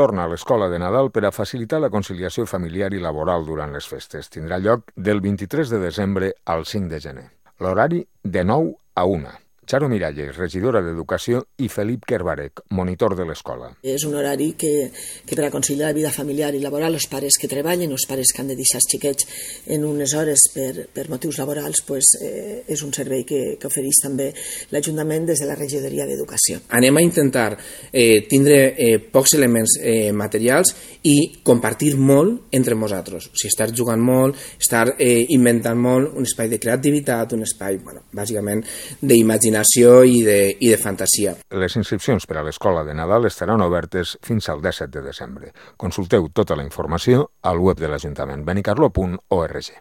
torna a l'Escola de Nadal per a facilitar la conciliació familiar i laboral durant les festes. Tindrà lloc del 23 de desembre al 5 de gener. L'horari de 9 a 1. Charo Miralles, regidora d'Educació, i Felip Kerbarek, monitor de l'escola. És un horari que per a conciliar la vida familiar i laboral, els pares que treballen, els pares que han de deixar els xiquets en unes hores per motius laborals, és un servei que ofereix també l'Ajuntament des de la regidoria d'Educació. Anem a intentar tindre pocs elements materials i compartir molt entre nosaltres. O sigui, estar jugant molt, estar inventant molt, un espai de creativitat, un espai, bàsicament, d'imaginació i de fantasia. Les inscripcions per a l'Escola de Nadal estaran obertes fins al 17 de desembre. Consulteu tota la informació al web de l'Ajuntament, benicarló.org.